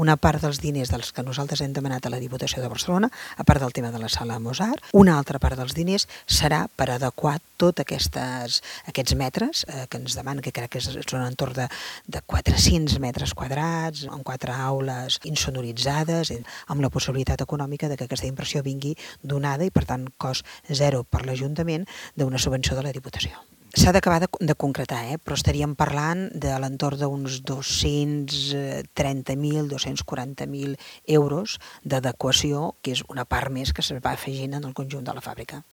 una part dels diners dels que nosaltres hem demanat a la Diputació de Barcelona, a part del tema de la sala Mozart, una altra part dels diners serà per adequar tots aquests metres que ens demanen, que crec que són entorn de 400 metres quadrats, amb 4 aules insonoritzades, amb la possibilitat econòmica de que aquesta inversió vingui donada i, per tant, cost zero per l'Ajuntament d'una subvenció de la Diputació. S'ha d'acabar de concretar, però estaríem parlant de l'entorn d'uns 230.000, 240.000 euros d'adequació, que és una part més que es va afegint en el conjunt de la fàbrica.